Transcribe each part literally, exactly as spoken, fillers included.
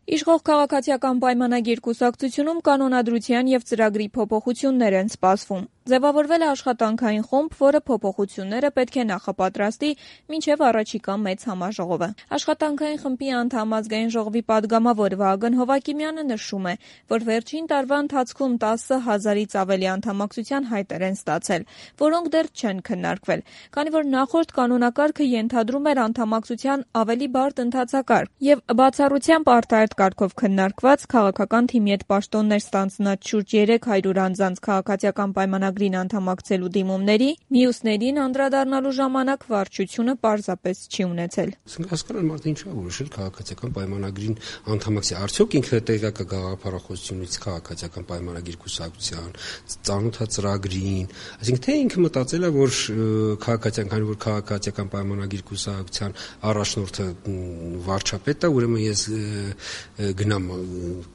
Իշխող քաղաքացիական պայմանագիր կուսակցությունում կանոնադրության եւ ծրագրի փոփոխություններ են սպասվում։ Ձևավորվել է աշխատանքային խումբ, որը փոփոխությունները պետք է նախապատրաստի մինչև առաջիկա մեծ համաժողովը։ Աշխատանքային խմբի անդամ ազգային ժողովի падգամավոր Վահագն Հովակիմյանը նշում է, որ վերջին տարվա ընթացքում տասը հազարից ավելի անդամակցության հայտեր են ստացել, որոնք դեռ չեն քննարկվել, քանի որ նախորդ կանոնակարգը ենթադրում էր անդամակցության ավելի բարդ ընթացակարգ եւ բացառությամբ արտահայտ կարգով քննարկված քաղաքական թիմի հետ պաշտոններ ստանձնած շուրջ երեք հարյուր անձանց քաղաքացիական պայմանագրին անդամակցելու դիմումների, մյուսներին անդրադառնալու ժամանակ վարչությունը պարզապես չի ունեցել։ Հասկանալ մարդը ինչ է որոշել քաղաքացիական պայմանագրին անդամակցի, արդյոք ինքը տեղյակ է գաղափարախոսությունից քաղաքացիական պայմանագիր կուսակցության, ծանոթ է ծրագրին, այսինքն թե ինքը մտածել է, որ քաղաքացիական, քանի որ քաղաքացիական պայմանագիր կուսակցության առաջնորդը վարչապետն է, ուրեմն ես գնամ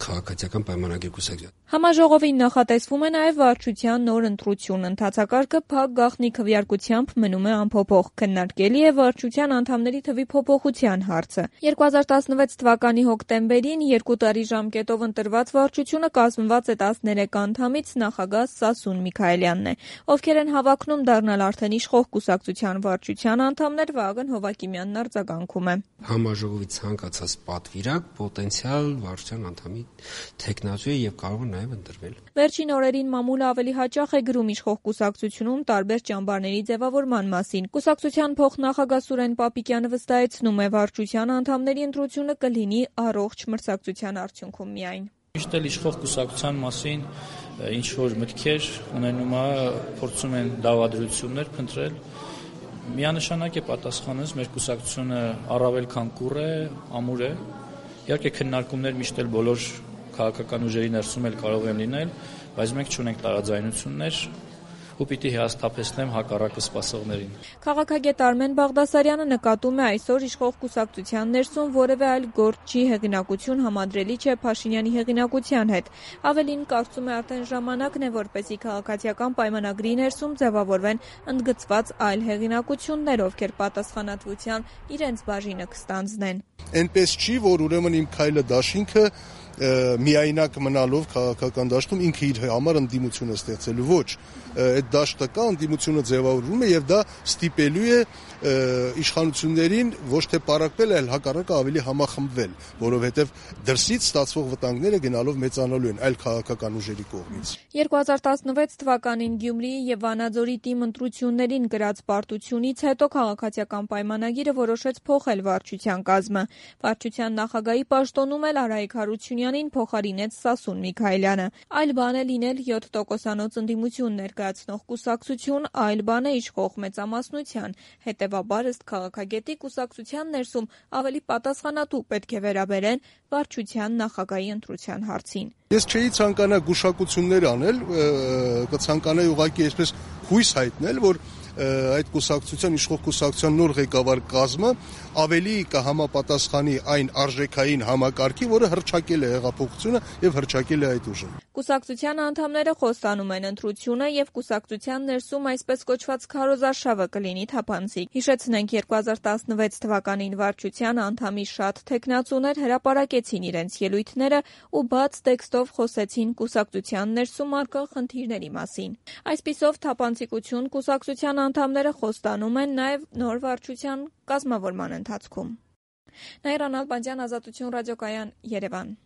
քաղաքացիական պայմանագիր կուսակցության։ Համաժողովին նախատեսվում է նաև վարչության նոր ընտրություն, ընթացակարգը փակ գաղտնի քվեարկությամբ մնում է անփոփոխ, քննարկելի է վարչության անդամների թվի փոփոխության հարցը։ երկու հազար տասնվեց թվականի հոկտեմբերին երկու տարի ժամկետով ընտրված վարչությունը կազմված է տասներեք անդամից, նախագահ Սասուն Միքայելյանն է, ովքեր են հավակնում դառնալ արդեն իշխող կուսակցության վարչության անդամներ, Վահագն Հովակիմյանն արձագանքում է։ Համաժողովի ցանկացած պատվիրակ պոտենցիալ վարչության անդամի թեկնածու է եւ կարող է նաև ընտրվել։ Վերջին օրերին մամուլը ավելի հաճախ է գրում իշխող կուսակցությունում տարբեր ճամբարների ձևավորման մասին։ Կուսակցության փոխնախագահ Սուրեն Պապիկյանը վստահեցնում է, վարչության անդամների ընտրությունը կլինի առողջ մրցակցության արդյունքում միայն։ Միշտ էլ իշխող կուսակցության մասին ինչ որ մտքեր ունենում է, փորձում են դավադրություններ փնտրել։ Միանշանակ է պատասխանս, մեր կուսակցությունը առավել քան կուռ է, ամուր է։ Իհարկե քննարկումներ միշտ էլ բոլոր քաղաքական ուժերի ներսում էլ կարող են լինել, բայց մենք չունենք տարաձայնություններ ու պիտի հիասթափեցնեմ հակառակը սպասողներին։ Քաղաքագետ Արմեն Բաղդասարյանը նկատում է այսօր իշխող կուսակցության ներսում որևէ այլ գործչի հեղինակություն համադրելի չէ Փաշինյանի հեղինակության հետ։ Ավելին կարծում է արդեն ժամանակն է, որպեսզի քաղաքացիական պայմանագրի ներսում ձևավորվեն ընդգծված այլ հեղինակություններ, ովքեր պատասխանատվության իրենց բաժինը կստանձնեն։ Այնպես չի, որ ուրեմն իմ քայլը դաշինքը միայնակ մնալով քաղաքական դաշտում ինքը իր համար ընդդիմություն է ստեղծելու, ոչ, այդ դաշտը կա, ընդդիմությունը ձևավորվում է եւ դա ստիպելու է իշխանություններին ոչ թե պարակվել, այլ հակառակը ավելի համախմբվել, որովհետեւ դրսից ստացվող վտանգները գնալով մեծանալու են այլ քաղաքական ուժերի կողմից։ երկու հազար տասնվեց թվականին Գյումրիի եւ Վանաձորի թիմ ընտրություններին գրած պարտությունից հետո քաղաքացիական պայմանագիրը որոշեց փոխել վարչության կազմը։ Վարչության նախագահի պաշտոնում էլ Արայիկ Հարությունյանին փոխարինեց Սասուն Միքայելյանը։ Այլ բան է լինել յոթ տոկոսանոց ընդդիմություն ներկայացնող կուսակցություն, այլ բան է իշխող մեծամասնության։ Հետևաբար ըստ քաղաքագետի կուսակցության ներսում ավելի պատասխանատու պետք է վերաբերեն վարչության նախագահի ընտրության հարցին։ Ես չէի ցանկանա գուշակություններ անել, կցանկանայի ուղղակի այսպես հույս հայտնել, որ այդ կուսակցության իշխող կուսակցության նոր ղեկավար կազմը ավելի կհամապատասխանի այն արժեքային համակարգի, որը հռչակել է հեղափոխությունը եւ հռչակել է այդ ուժը։ Կուսակցության անդամները խոստանում են ընտրությունը եւ կուսակցության ներսում այսպես կոչված քարոզարշավը կլինի թափանցիկ։ Հիշեցնենք երկու հազար տասնվեց թվականին վարչության անդամի շատ թեկնածուներ հրապարակեցին իրենց ելույթները ու բաց տեքստով խոսեցին կուսակցության ներսում առկա խնդիրների մասին։ Այսպիսով թափանցիկություն կուսակցության անդամները խոստանում են նաև նոր վարչության կազմավորման ընթացքում։ Նաիրա Նալբանդյան, Ազատություն ռադիոկայան, Երևան։